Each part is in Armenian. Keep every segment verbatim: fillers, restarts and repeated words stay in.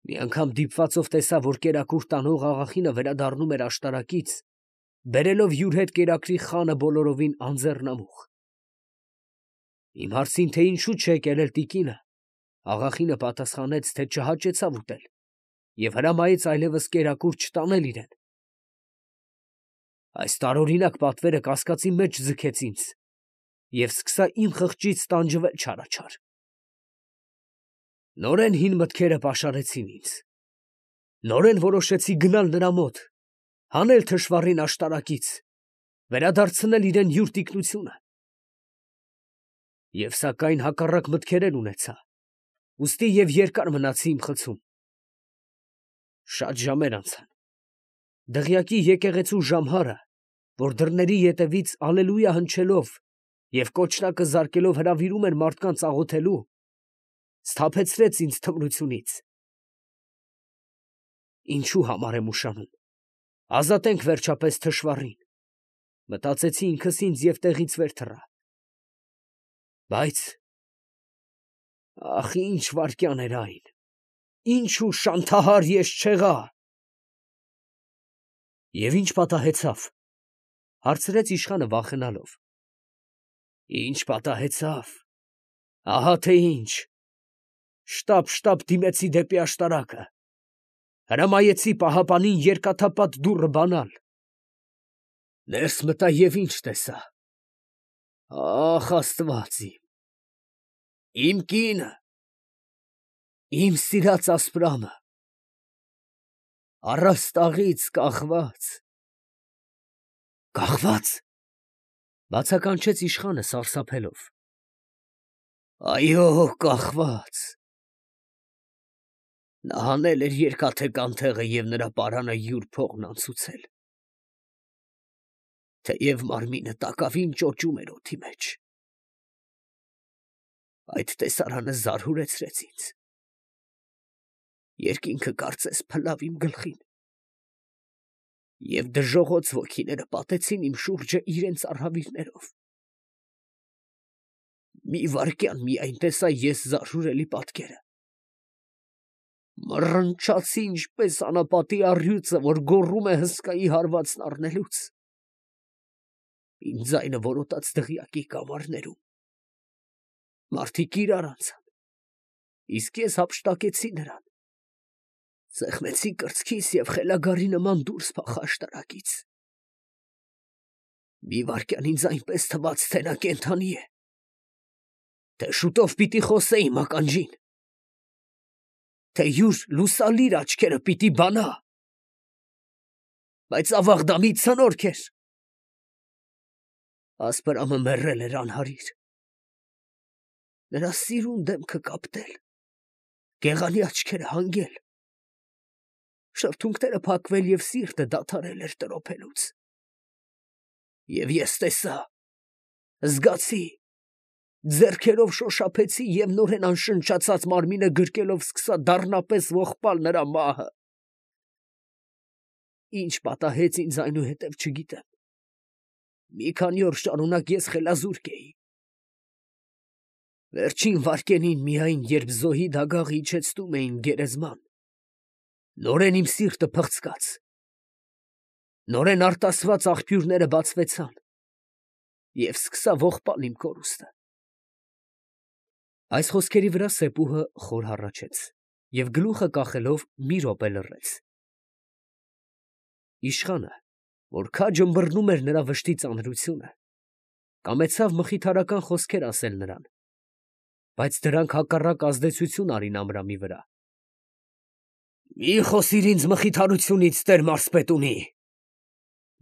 Մի անգամ դիպվածով տեսա, որ կերակուր տանող աղախինը վերադառնում էր աշտարակից, բերելով յուր հետ կերակրի խանը բոլորովին անձեռնամուխ։ Իմ հարցին, թե ինչու չեք ելել տիկինը, աղախինը պատասխանեց, թե չհաճեցավ ուտել և հրամայեց այլևս կերակուր չտանել իրեն։ Այս տարօրինակ պատվերը կասկածի մեջ ձգեց ինձ և սկսա իմ խղճից տանջվել չարաչար։ Նորեն հին մտքերը պաշարեցին ինձ։ Նորեն որոշեցի գնալ նրա մոտ, հանել թշվառին աշտարակից, վերադարձնել իրան յուր տիկնությունը։ Եվ սակայն հակառակ մտքեր էլ ունեցա, ուստի և երկար մնացի իմ խցում։ Շատ ժամեր անցան։ Դղյակի եկեղեցու ժամհարը, որ դռների ետևից ալելույա հնչելով և կոչնակը զարկելով հրավիրում էր մարդկանց աղոթելու, սթափեցրեց ինձ թմրությունից։ Ինչու համար եմ ուշանում, ազատենք վերջապես թշվառին, մտածեցի ինքս ինձ և տեղից վեր թռա։ Բայց, ախ, ինչ վայրկյան էր այն, ինչու շանթահար եշչեղա… Եվ ի՞նչ պատահեցավ, հարցրեց իշխանը վախենալով։ Ինչ պատահեցավ… ահա թե ինչ… Շտապ֊շտապ դիմեցի դեպի աշտարակը, հրամայեցի պահապանին երկաթափատ դուռը բանալ։ Ներս մտա և ի՞նչ տեսա… Ա՜խ, աստված իմ… Իմ կինը… իմ սիրած ասպրամը… առաստաղից կախված… Կախվա՞ծ… բացականչեց իշխանը սարսափելով։ Այո, կախված… Նա հանել էր երկաթե կանթեղը և նրա պարանը յուր փողն անցուցել… Թեև մարմինը տակավին ճոճում էր օդի մեջ… Այդ տեսարանը զարհուրեցրեց ինձ… Երկինքը կարծես փլավ իմ գլխին… Եվ դժոխոց ոգիները պատեցին իմ շուրջը իրենց արհավիրներով… Մի վայրկյան միայն տեսա ես զարհուրելի պատկերը… Մռնչացի ինչպես անապատի առյուծը, որ գոռում է հսկայի հարվածն առնելուց… Իմ ձայնը որոտաց դղյակի կամարներում… Մարդիկ իրար անցան, իսկ ես հափշտակեցի նրան… Սեղմեցի կրծքիս և խելագարի նման դուրս փախա աշտարակից… Մի վայրկյան ինձ այնպես թվաց, թե նա կենդանի է… Թե շուտով պիտի խոսե իմ ականջին… Թե յուր լուսալիր աչքերը պիտի բանա… Բայց, ավաղ, դա մի ցնորք էր… Ասպրամը մեռել էր անհարիր… Նրա սիրուն դեմքը կապտել… գեղանի աչքերը հանգել… շրթունքները փակվել և սիրտը դադարել էր տրոփելուց… Եվ ես տեսա… զգացի… ձեռքերով շոշափեցի և նորեն անշնչացած մարմինը գրկելով սկսա դառնապես ողպալ նրա մահը… Ինչ պատահեց ինձ այնուհետև չգիտեմ… Մի քանի օր շարունակ ես խելազուրկ էի… Վերջին վայրկենին միայն, երբ զոհի դագաղը իջեցնում էին գերեզման, նորեն իմ սիրտը փղցկաց… Նորեն արտասված աղբյուրները բացվեցան… և սկսա ողպալ իմ կորուստը… Այս խոսքերի վրա սեպուհը խոր հառաչեց և գլուխը կախելով մի րոպե լռեց… Իշխանը, որ քաջ ըմբռնում էր նրա վշտի ծանրությունը, կամեցավ մխիթարական խոսքեր ասել նրան, բայց դրանք հակառակ ազդեցություն արին Ամրամի վրա… Մի խոսիր ինձ մխիթարությունից, տեր մարզպետունի…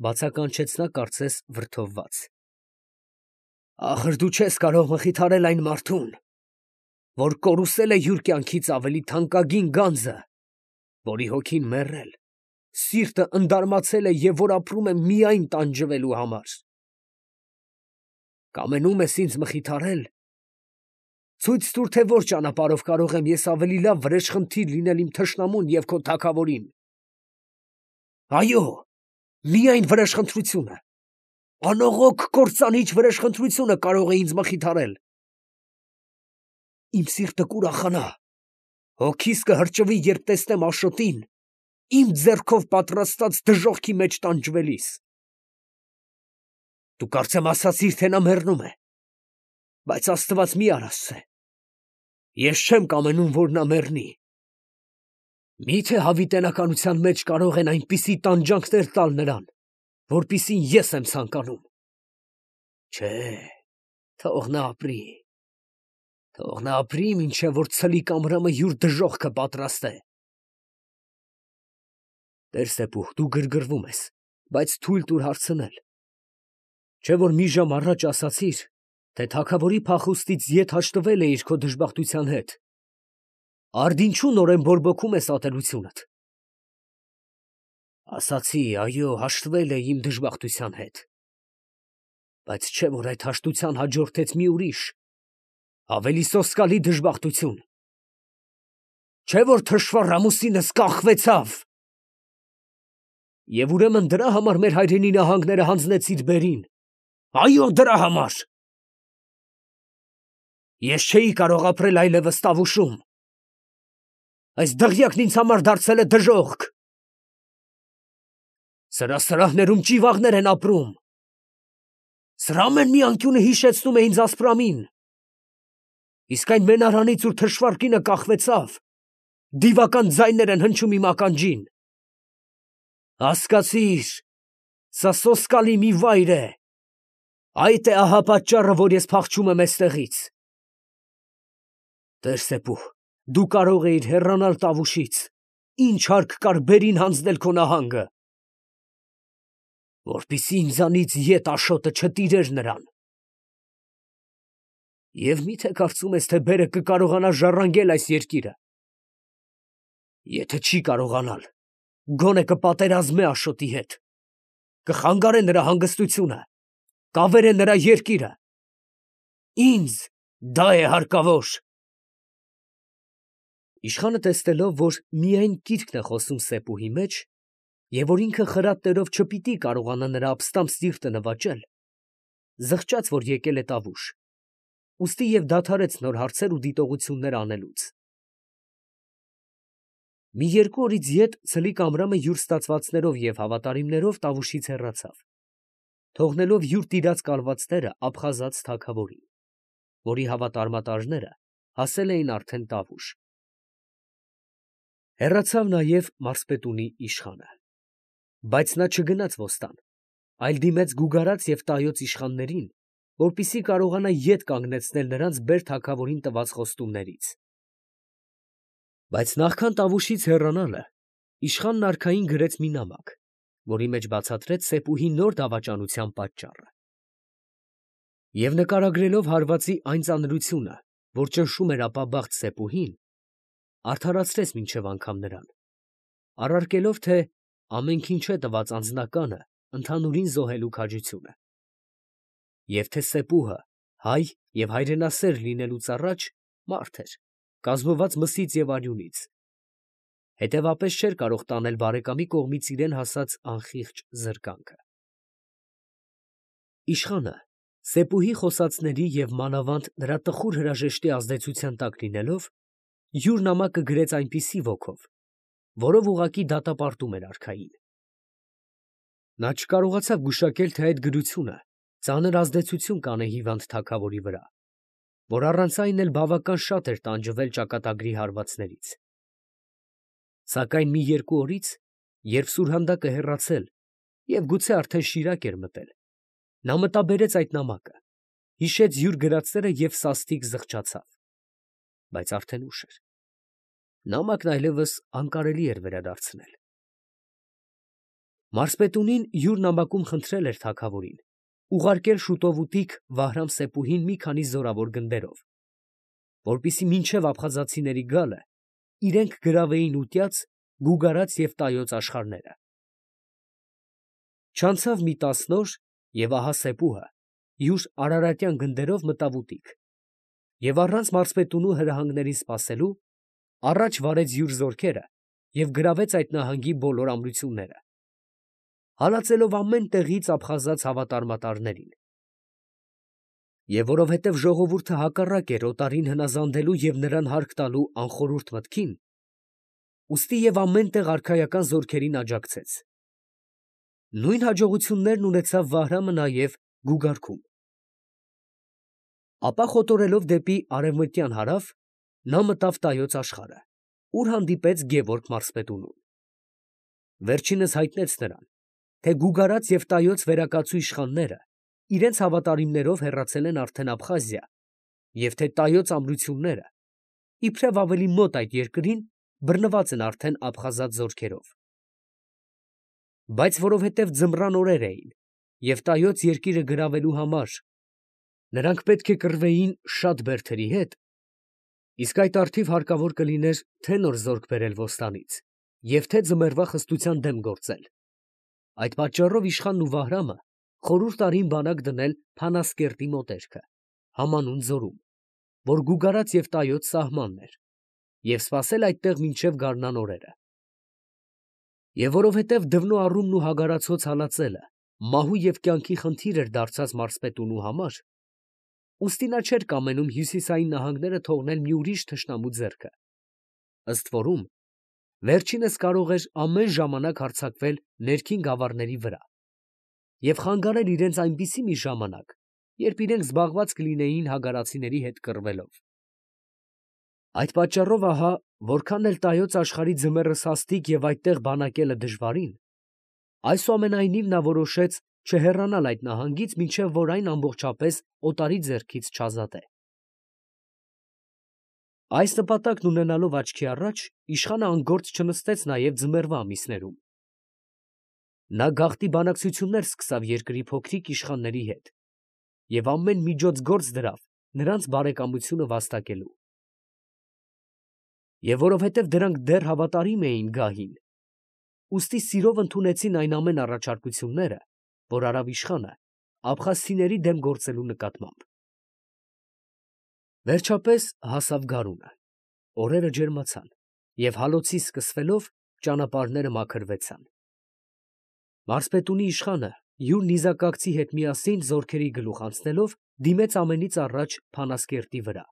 բացականչեց նա կարծես վրդովված… Ախր դու չես կարող մխիթարել այն մարդուն, որ կորուսել է յուր կյանքից ավելի թանկագին գանձը, որի հոգին մեռել, սիրտը ընդարմացել է և որ ապրում է միայն տանջվելու համար… Կամենում ես ինձ մխիթարել… Ցույց տուր, թե որ ճանապարհով կարող եմ ես ավելի լավ վրեժխնդիր լինել իմ թշնամուն և քո թագավորին… Այո, միայն վրեժխնդրությունը… անողոք կործանիչ վրեժխնդրությունը կարող է ինձ մխիթարել… Իմ սիրտը կուրախանա… Հոգիս կհրճվի, երբ տեսնեմ Աշոտին իմ ձեռքով պատրաստած դժոխքի մեջ տանջվելիս։ Դու կարծեմ ասացիր, թե նա մեռնում է, բայց Աստված մի արասցե, ես չեմ կամենում, որ նա մեռնի։ Մի՞թե հավիտենականության մեջ կարող են այնպիսի տանջանքներ տալ նրան, որպիսին ես եմ ցանկանում։ Չէ, թող նա ապրի, թող նա ապրի, մինչև որ ցլիկ ամրամը յուր դժոխքը պատրաստե։ Տեր Սեփուխ, դու գրգռվում ես, բայց թույլ տուր հարցնել։ Չէ՞ որ մի ժամ առաջ ասացիր, թե թագավորի փախուստից ետ հաշտվել էիր քո դժբախտության հետ։ Արդ ինչու նորեն բորբոքում ես ատելությունդ։ Ասացի, այո, հաշտվել էի իմ դժբախտության հետ, բայց չէ՞ որ այդ հաշտության հաջորդեց մի ուրիշ, ավելի սոսկալի դժբախտություն։ Չէ՞ որ թշվառ ամուսինս կախվեցավ։ Եվ ուրեմն դրա համար մեր հայրենի նահանգները հանձնեցիր բերին։ Այո, դրա համար։ Ես չէի կարող ապրել այլևս Տավուշում։ Այս դղյակն ինձ համար դարձել է դժոխք։ Սրա սրահներում ճիվաղներ են ապրում։ Սրա ամեն մի անկյունը հիշեցնում է ինձ ասպրամին։ Իսկ այն մենարանից, ուր թշվառ կինը կախվեցավ, դիվական ձայներ են հնչում իմ ականջին։ Հասկացիր, սա սոսկալի մի վայր է։ Այդ է ահա պատճառը, որ ես փախչում եմ էստեղից։ Տեր Սեփուխ, դու կարող էիր հեռանալ Տավուշից, ինչ հարկ կար բերին հանձնել քո նահանգը, որպեսզի ինձանից ետ Աշոտը չտիրեր նրան։ Եվ մի՞թե կարծում ես, թե բերը կկարողանա ժառանգել այս երկիրը։ Եթե չի կարողանալ, գոնե կպատերազմե Աշոտի հետ, կխանգարե նրա հանգստությունը, կավերե նրա երկիրը։ Ինձ դա է հարկավոր։ Իշխանը տեսնելով, որ միայն կիրքն է խոսում Սեփուհի մեջ, և որ ինքը խրատներով չպիտի կարողանա նրա ապստամբ սիրտը նվաճել, զղջաց, որ եկել է Տավուշ, ուստի և դադարեց նոր հարցեր ու դիտողություններ անելուց։ Մի երկու օրից ետ ցլիկ Ամրամը յուր ստացվածներով և հավատարիմներով Տավուշից հեռացավ, թողնելով յուր տիրած կալվածները Աբխազած թագավորին, որի հավատարմատարները հասել էին արդեն Տավուշ։ Հեռացավ նաև մարզպետունի իշխանը, բայց նա չգնաց ոստան, այլ դիմեց գուգարած և տայոց իշխաններին, որպեսզի կարողանա ետ կանգնեցնել նրանց բեր թագավորին տված խոստումներից։ Բայց նախքան Տավուշից հեռանալը, իշխանն արքային գրեց մի նամակ, որի մեջ բացատրեց Սեփուհի նոր դավաճանության պատճառը։ Եվ նկարագրելով հարվածի այն ծանրությունը, որ ճնշում էր ապաբախտ Սեփուհին, արդարացրեց մինչև անգամ նրան, առարկելով, թե ամենքին չէ տված անձնականը ընդհանուրին զոհելու քաջությունը, և թե Սեփուհը հայ և հայրենասեր լինելուց առաջ մարդ էր, կազմված մսից և արյունից, հետևապես չէր կարող տանել բարեկամի կողմից իրան հասած անխիղճ զրկանքը։ Իշխանը, Սեփուհի խոսածների և մանավանդ նրա տխուր հրաժեշտի ազդեցության տակ լինելով, յուր նամակը գրեց այնպիսի ոգով, որով ուղղակի դատապարտում էր արքային։ Նա չկարողացավ գուշակել, թե այդ գրությունը ծանր ազդեցություն կանե հիվանդ թագավորի վրա, որ առանց այն էլ բավական շատ էր տանջվել ճակատագրի հարվածներից։ Սակայն մի երկու օրից, երբ սուրհանդակը հեռացել և գուցե արդեն շիրակ էր մտել, նա մտաբերեց այդ նամակը, հիշեց յուր գրածները և սաստիկ զղջացավ, բայց արդեն ուշ էր, նամակն այլևս անկարելի էր վերադարձնել։ Մարզպետունին յուր նամակում խնդրել էր թագավորին ուղարկել շուտովուտիկ Վահրամ-Սեփուհին մի քանի զորավոր գնդերով, որպեսզի մինչև աբխազացիների գալը իրենք գրավեին ուտյաց, գուգարած և տայոց աշխարհները։ Չանցավ մի տասն օր, և ահա Սեփուհը յուր արարատյան գնդերով մտավ ուտիկ, և առանց մարզպետունու հրահանգներին սպասելու, առաջ վարեց յուր զորքերը և գրավեց այդ նահանգի բոլոր ամրությունները, հալածելով ամեն տեղից աբխազաց հավատարմատարներին։ Եվ որովհետև ժողովուրդը հակառակ էր օտարին հնազանդելու և նրան հարկ տալու անխորհուրդ մտքին, ուստի և ամեն տեղ արքայական զորքերին աջակցեց. նույն հաջողություններն ունեցավ Վահրամը նաև Գուգարքում։ Ապա խոտորելով դեպի արևմտյան հարավ, նա մտավ Տայոց աշխարհը, ուր հանդիպեց Գևորգ մարզպետունուն։ Վերջինս հայտնեց նրան, թե Գուգարած և Տայոց վերակացու իշխանները իրենց հավատարիմներով հեռացել են արդեն Աբխազիա և թե Տայոց ամրությունները, իբրև ավելի մոտ այդ երկրին, բռնված են արդեն աբխազատ զորքերով։ Բայց որովհետև ձմռան օրեր էին և Տայոց երկիրը գրավելու համար նրանք պետք է կռվեին շատ բերդերի հետ, իսկ այդ առթիվ հարկավոր կլիներ թե՛ նոր զորք բերել Ոստանից և թե՛ ձմեռվա խստության դեմ գործել, այդ պատճառով իշխանն ու Վահրամը խորհուրդ արին բանակ դնել Փանասկերտի մոտերքը, համանուն ձորում, որ Գուգարած և Տայոց սահմանն էր, և սպասել այդտեղ մինչև գարնան օրերը։ Եվ որովհետև դվնո առումն ու հագարացոց հալածելը մահու և կյանքի խնդիր էր դարձած մարզպետունու համար, ուստի նա չէր կամենում հյուսիսային նահանգները թողնել մի ուրիշ թշնամու ձեռքը, ըստ որում վերջինս կարող էր ամեն ժամանակ հարձակվել ներքին գավառների վրա և խանգարել իրենց այնպիսի մի ժամանակ, երբ իրենք զբաղված կլինեին հագարացիների հետ կռվելով։ Այդ պատճառով ահա, որքան էլ Տայոց աշխարհի ձմեռը սաստիկ և այդտեղ բանակելը դժվարին, այսուամենայնիվ նա որոշեց չհեռանալ այդ նահանգից, մինչև որ այն ամբողջապես օտարի ձեռքից չազատե։ Այս նպատակն ունենալով աչքի առաջ, իշխանը անգործ չնստեց նաև ձմեռվա ամիսներում. նա գաղտնի բանակցություններ սկսավ երկրի փոքրիկ իշխանների հետ և ամեն միջոց գործ դրավ նրանց բարեկամությունը վաստակելու։ Եվ որովհետև դրանք դեռ հավատարիմ էին գահին, ուստի սիրով ընդունեցին այն ամեն առաջարկությունները, որ արավ իշխանը աբխազցիների դեմ գործելու նկատմամբ։ Վերջապես հասավ գարունը, օրերը ջերմացան, և հալոցի սկսվելով ճանապարհները մաքրվեցան։ Մարզպետունի իշխանը յուր նիզակակցի հետ միասին զորքերի գլուխ անցնելով դիմեց ամենից առաջ Փանասկերտի վրա։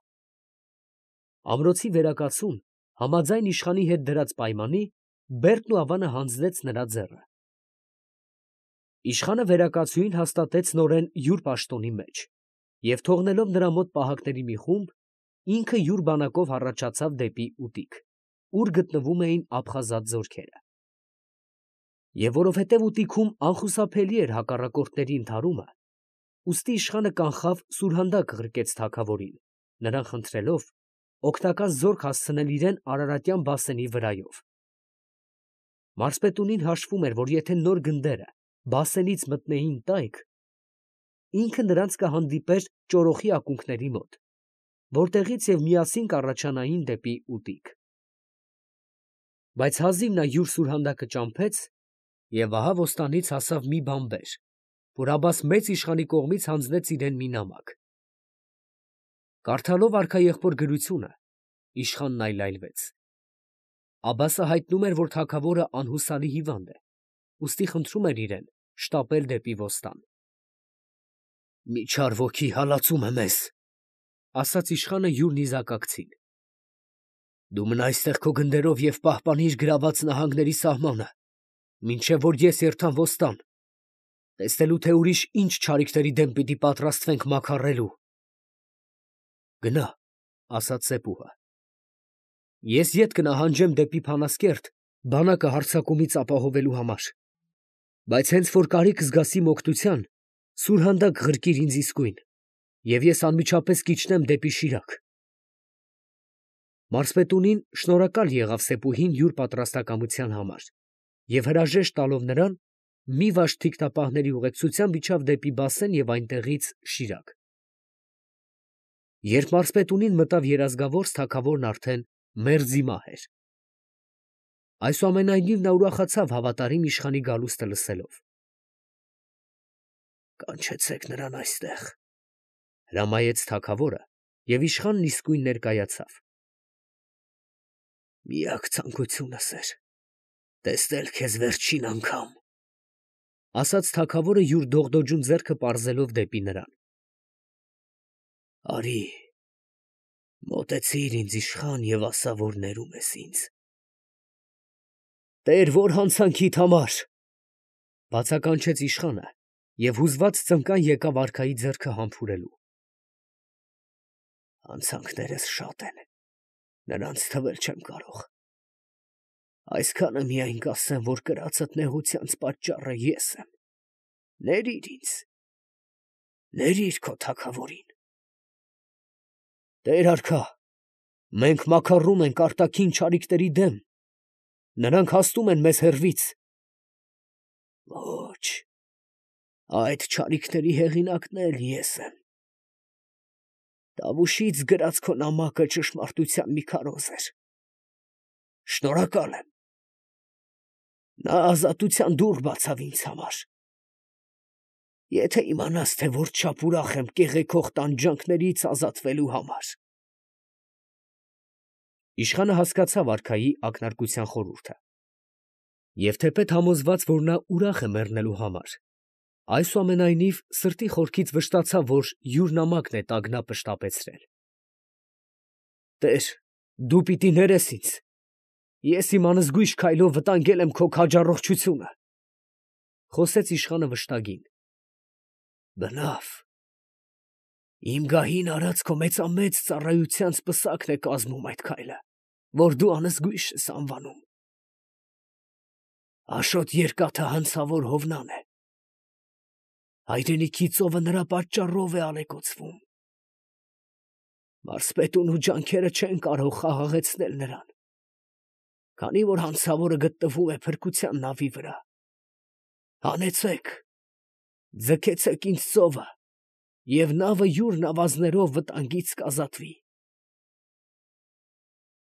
Ամրոցի վերակացուն, համաձայն իշխանի հետ դրած պայմանի, Բերդն ու Ավանը հանձնեց նրա ձեռը։ Իշխանը վերակացուին հաստատեց նորեն յուր պաշտոնի մեջ և թողնելով նրա մոտ պահակների մի խումբ, ինքը յուր բանակով հառաջացավ դեպի Ուտիկ, ուր գտնվում էին աբխազատ զորքերը։ Եվ որովհետև Ուտիքում անխուսափելի էր հակառակորդների ընդհարումը, ուստի իշխանը կանխավ սուրհանդակ ղրկեց թագավորին, նրան խնդրելով օգնական զորք հասցնել իրան Արարատյան բասենի վրայով։ Մարզպետունին հաշվում էր, որ եթե նոր գնդերը Բասենից մտնեին տայք, ինքը նրանց կհանդիպեր ճորոխի ակունքների մոտ, որտեղից և միասին կառաջանային դեպի Ուտիկ։ Բայց հազիվ նա յուր սուրհանդակը ճամփեց, և ահա Ոստանից հասավ մի բանբեր, որ Աբբաս մեծ իշխանի կողմից հանձնեց իրան մի նամակ։ Կարդալով արքաեղբոր գրությունը, իշխանն այլայլվեց։ Աբբասը հայտնում էր, որ թագավորը անհուսալի հիվանդ է, ուստի խնդրում էր իրան շտապել դեպի Ոստան։ «Մի չար ոգի հալածում է մեզ, ֊ ասաց իշխանը յուր նիզակակցին. ֊ դու մնա այստեղ քո գնդերով և պահպանիր գրաված նահանգների սահմանը, մինչև որ ես երթամ Ոստան, տեսնելու, թե ուրիշ ինչ չարիքների դեմ պիտի պատրաստվենք մաքարելու։ ֊ Գնա, ֊ ասաց Սեպուհը. ֊ ես ետ կնահանջեմ դեպի Փանասկերտ բանակը հարձակումից ապահովելու համար, բայց հենց որ կարիք զգաս իմ օգնության, սուրհանդակ ղրկիր ինձ իսկույն, և ես անմիջապես կիջնեմ դեպի Շիրակ։ Մարզպետունին շնորհակալ եղավ Սեպուհին յուր պատրաստակամության համար և հրաժեշտ տալով նրան, մի վաշտ թիկնապահների ուղեկցությամբ իջավ դեպի Բասեն և այնտեղից Շիրակ։ Երբ մարզպետունին մտավ Երազգավորս, թագավորն արդեն մերձի մահ էր։ Այսուամենայնիվ նա ուրախացավ հավատարիմ իշխանի գալուստը լսելով։ «Կանչեցեք նրան այստեղ, ֊ հրամայեց թագավորը, և իշխանն իսկույն ներկայացավ։ ֊ Միակ ցանկությունս էր տեսնել քեզ վերջին անգամ, ֊ ասաց թագավորը յուր դողդոջուն ձեռքը պարզելով դեպի նրան։ Արի, մոտեցիր ինձ իշխան և ասա, որ ներում ես ինձ։ Տեր, որ հանցանքիդ համար, բացականչեց իշխանը և հուզված ծնկան եկավ արքայի ձեռքը համբուրելու։ Հանցանքներս շատ են, նրանց թվել չեմ կարող։ Այսքանը միայն կասեմ, որ կրածդ նեղությանց պատճառը ես եմ։ Ներիր ինձ, ներիր քո թագավորին։ Տեր արքա, մենք մաքառում ենք արտաքին չարիքների դեմ, նրանք հաստում են մեզ հեռվից։ Ոչ, այդ չարիքների հեղինակն էլ ես եմ։ Տավուշից գրած քո նամակը ճշմարտության մի քարոզ էր։ Շնորհակալ եմ։ Նա ազատության դուռ բացավ ինձ համար։ Եթե իմանաս, թե որչափ ուրախ եմ կեղեքող տանջանքներից ազատվելու համար։ Իշխանը հասկացավ արքայի ակնարկության խորհուրդը և թեպետ համոզված, որ նա ուրախ է մեռնելու համար, այսուամենայնիվ սրտի խորքից վշտացավ, որ յուր նամակն է տագնապը շտապեցրել։ Տեր, դու պիտի ներես ինձ, ես իմ անզգույշ քայլով վտանգել եմ քո քաջառողջությունը, խոսեց իշխանը վշտագին։ Բնավ, իմ գահին արած քո մեծամեծ ծառայությանց պսակն է կազմում այդ քայլը, որ դու անզգույշ ես անվանում։ Աշոտ երկաթը հանցավոր Հովնան է։ Հայրենիքի ծովը նրա պատճառով է ալեկոծվում։ Մարսպետուն ու ջանքերը չեն կարող խաղաղեցնել նրան, քանի որ հանցավորը գտնվում է փրկության նավի վրա։ Հանեցեք, ձգեցեք ինձ ծովը, և նավը յուր նավազներով վտանգից կազատվի։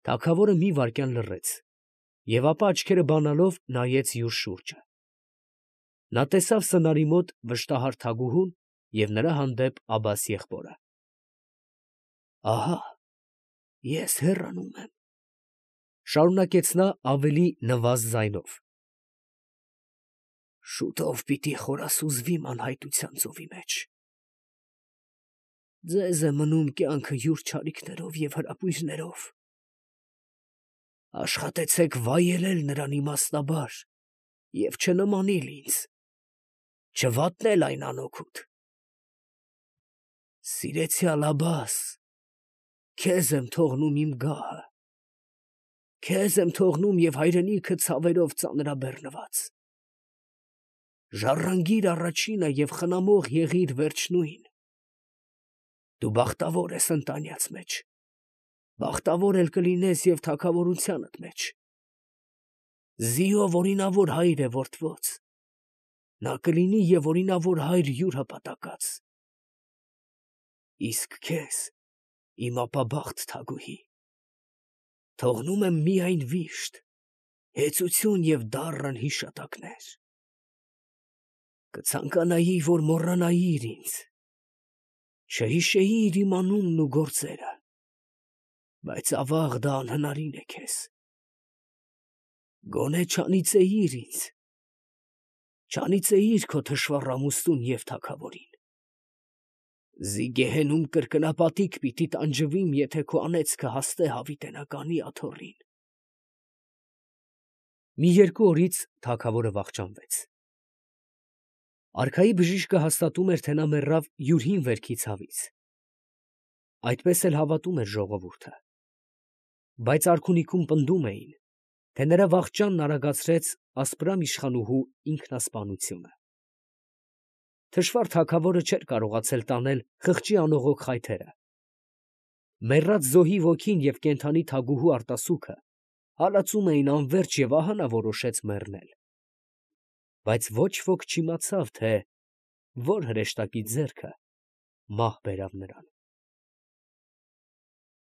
Թագավորը մի վայրկյան լռեց և ապա աչքերը բանալով նայեց յուր շուրջը։ Նա տեսավ սնարի մոտ վշտահար թագուհուն և նրա հանդեպ Աբբաս եղբորը։ Ահա ես հեռանում եմ, շարունակեց նա ավելի նվազ ձայնով. շուտով պիտի խորասուզվիմ անհայտության ծովի մեջ։ Ձեզ է մնում կյանքը յուր չարիքներով և հրապույրներով։ Աշխատեցեք վայելել նրան իմաստնաբար և չնմանիլ ինձ, չվատնել այն անօգուտ։ Սիրեցյալ Աբբաս, քեզ եմ թողնում իմ գահը, քեզ եմ թողնում և հայրենիքը ցավերով ծանրաբեռնված։ Ժառանգիր առաջինը և խնամող եղիր վերջնույն։ Դու բախտավոր ես ընտանյաց մեջ, բախտավոր էլ կլինես և թագավորությանդ մեջ։ Զիով օրինավոր հայր է որդվոց, նա կլինի և օրինավոր հայր յուր հպատակած։ Իսկ քեզ, իմ ապաբախտ թագուհի, թողնում եմ միայն վիշտ, հեծություն և դառն հիշատակներ։ Կցանկանայի, որ մոռանայիր ինձ, չհիշեիր իմ անունն ու գործերը, բայց ավաղ դա անհնարին է քեզ։ Գոնե չանիծեիր ինձ, չանիծեիր քո թշվառ ամուսնուն և թագավորին։ Զի գեհենում կրկնապատիկ պիտի տանջվիմ, եթե քո անեծքը հասնե հավիտենականի աթոռին։ Մի երկու օրից թագավորը վախճանվեց։ Արքայի բժիշկը հաստատում էր, թե նա մեռավ յուր հին վերքի ցավից։ Այդպես էլ հավատում էր ժողովուրդը։ Բայց արքունիքում պնդում էին, թե նրա վախճանն արագացրեց ասպրամ իշխանուհու ինքնասպանությունը։ Թշվառ թագավորը չէր կարողացել տանել խղճի անողոք խայթերը։ Մեռած զոհի ոգին և կենդանի թագուհու արտասուքը հալածում էին անվերջ և ահա նա որոշեց մեռնել։ Բայց ոչ ոք չիմացավ, թե որ հրեշտակի ձեռքը մահ բերավ նրան։